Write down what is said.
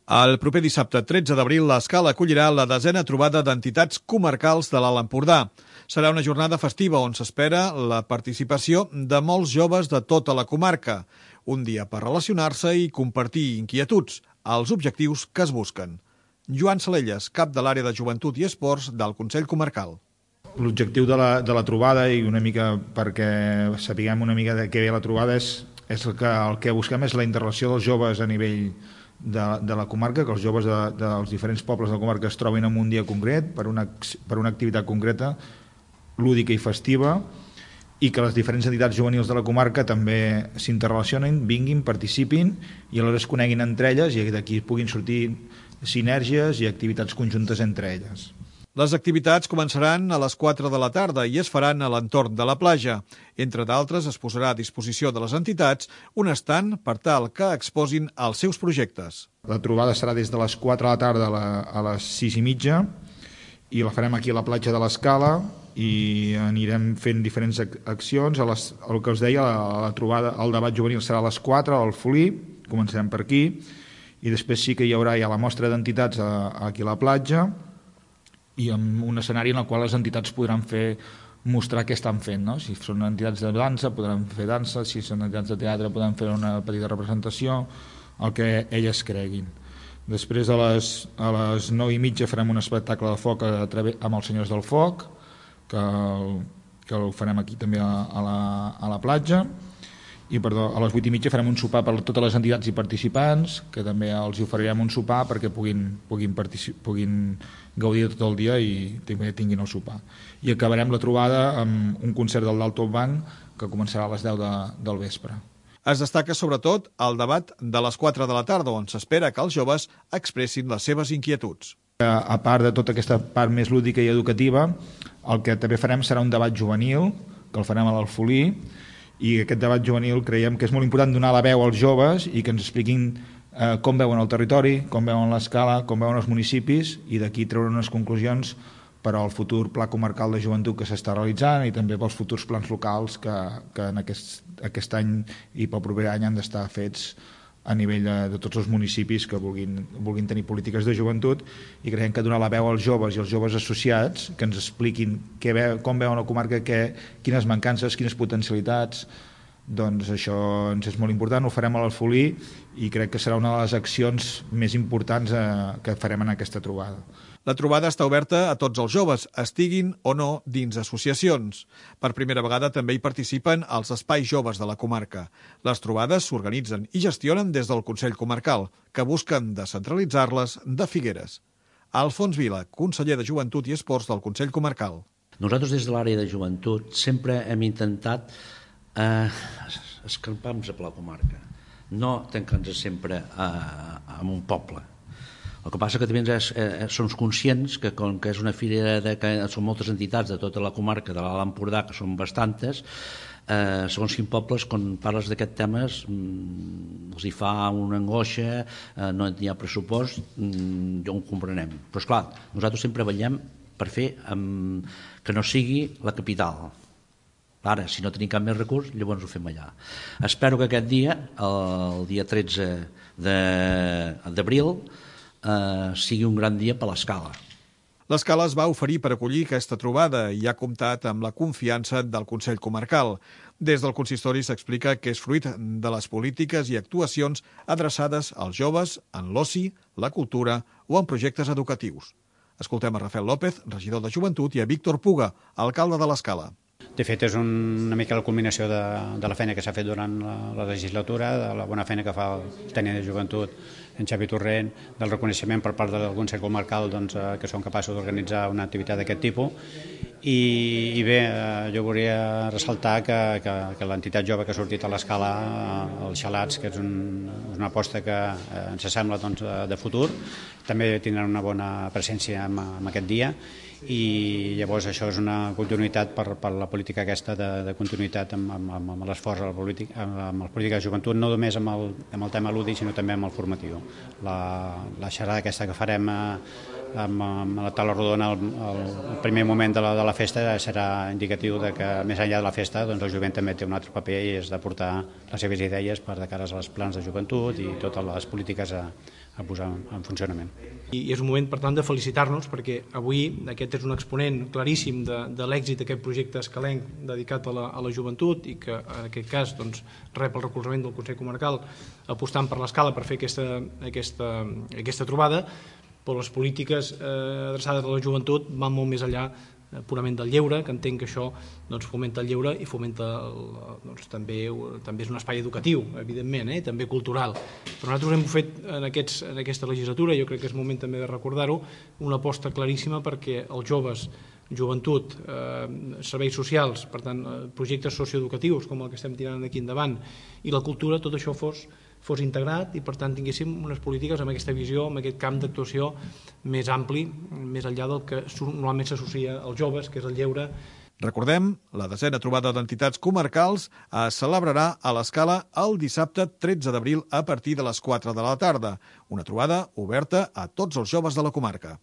El proper dissabte 13 d'abril, l'Escala acollirà la 10a trobada d'entitats comarcals de l'Alt Empordà. Serà una jornada festiva on s'espera la participació de molts joves de tota la comarca. Un dia per relacionar-se i compartir inquietuds, els objectius que es busquen. Joan Salelles, cap de l'àrea de Joventut i Esports del Consell Comarcal. L'objectiu de la trobada, i una mica perquè sapiguem una mica de què ve la trobada, és el que busquem és la interrelació dels joves a nivell de la comarca, que els joves dels diferents pobles de la comarca es trobin en un dia concret per una activitat concreta, lúdica i festiva, i que les diferents entitats juvenils de la comarca també s'interrelacionin, vinguin, participin i aleshores es coneguin entre elles i d'aquí puguin sortir sinergies i activitats conjuntes entre elles. Les activitats començaran a les 4 de la tarda i es faran a l'entorn de la platja. Entre d'altres, es posarà a disposició de les entitats un estand per tal que exposin els seus projectes. La trobada serà des de les 4 de la tarda a les 6:30 i la farem aquí a la platja de l'Escala i anirem fent diferents accions. El que us deia, la trobada, el debat juvenil serà a les 4 al Folí, començarem per aquí, i després sí que hi haurà ja la mostra d'entitats aquí a la platja, i amb un escenari en el qual les entitats podran mostrar què estan fent, no? Si són entitats de dansa podran fer dansa, si són entitats de teatre podran fer una petita representació, el que elles creguin. Després a les 9:30 farem un espectacle de foc amb els Senyors del Foc, que el farem aquí també a la platja, i a les 8:30 farem un sopar per totes les entitats i participants, que també els oferirem un sopar perquè puguin gaudir tot el dia i també tinguin el sopar. I acabarem la trobada amb un concert del Dalton Bank que començarà a les 10 del vespre. Es destaca sobretot el debat de les 4 de la tarda, on s'espera que els joves expressin les seves inquietuds. A part de tota aquesta part més lúdica i educativa, el que també farem serà un debat juvenil, que el farem a l'Alfolí, i aquest debat juvenil creiem que és molt important donar la veu als joves i que ens expliquin com veuen el territori, com veuen l'Escala, com veuen els municipis, i d'aquí treure unes conclusions per al futur pla comarcal de joventut que s'està realitzant i també pels futurs plans locals que en aquest any i pel proper any han d'estar fets a nivell de tots els municipis que vulguin tenir polítiques de joventut, i creiem que donar la veu als joves i als joves associats que ens expliquin com veuen la comarca, quines mancances, quines potencialitats, doncs això ens és molt important. Ho farem a l'Alfolí i crec que serà una de les accions més importants que farem en aquesta trobada. La trobada està oberta a tots els joves, estiguin o no dins associacions. Per primera vegada també hi participen els espais joves de la comarca. Les trobades s'organitzen i gestionen des del Consell Comarcal, que busquen descentralitzar-les de Figueres. Alfons Vila, conseller de Joventut i Esports del Consell Comarcal. Nosaltres des de l'àrea de joventut sempre hem intentat escampar-nos a la comarca, no tancar-nos sempre en un poble. El que passa que també som conscients que com que és una fira que són moltes entitats de tota la comarca de l'Alt Empordà, que són bastantes, segons quins pobles, quan parles d'aquests temes, els hi fa una angoixa, no hi ha pressupost, ja ho comprenem. Però esclar, nosaltres sempre vetllem per fer que no sigui la capital. Ara, si no tenim cap més recurs, llavors ho fem allà. Espero que aquest dia, el dia 13 d'abril, sigui un gran dia per l'Escala. L'Escala es va oferir per acollir aquesta trobada i ha comptat amb la confiança del Consell Comarcal. Des del consistori s'explica que és fruit de les polítiques i actuacions adreçades als joves en l'oci, la cultura o en projectes educatius. Escoltem a Rafael López, regidor de Joventut, i a Víctor Puga, alcalde de l'Escala. De fet, és una mica la culminació de la feina que s'ha fet durant la legislatura, de la bona feina que fa el tècnic de Joventut, en Xavi Torrent, del reconeixement per part del Consell Comarcal que són capaços d'organitzar una activitat d'aquest tipus. I bé, jo volia ressaltar que l'entitat jove que ha sortit a l'Escala, els Xalats, que és una aposta que ens sembla de futur, també tindran una bona presència en aquest dia, i llavors això és una continuïtat per la política aquesta de continuïtat amb l'esforç amb les polítiques de joventut, no només amb el tema lúdic sinó també amb el formatiu. La xerrada aquesta que farem amb la taula rodona el primer moment de la festa serà indicatiu de que més enllà de la festa doncs el jovent també té un altre paper i és d'aportar les seves idees per de cara als plans de joventut i totes les polítiques a posar en funcionament. I és un moment, per tant, de felicitar-nos perquè avui aquest és un exponent claríssim de l'èxit d'aquest projecte escalenc dedicat a la joventut i que en aquest cas doncs, rep el recolzament del Consell Comarcal apostant per l'Escala per fer aquesta trobada, però les polítiques adreçades a la joventut van molt més enllà purament del lleure, que entenc que això doncs, fomenta el lleure i fomenta doncs, també és un espai educatiu, evidentment, també cultural. Però nosaltres hem fet en aquesta legislatura, jo crec que és moment també de recordar-ho, una aposta claríssima perquè els joves, joventut, serveis socials, per tant, projectes socioeducatius com el que estem tirant aquí endavant, i la cultura, tot això fos integrat i per tant tinguéssim unes polítiques amb aquesta visió, amb aquest camp d'actuació més ampli, més enllà del que normalment s'associa als joves, que és el lleure. Recordem, la 10a trobada d'entitats comarcals es celebrarà a l'Escala el dissabte 13 d'abril a partir de les 4 de la tarda. Una trobada oberta a tots els joves de la comarca.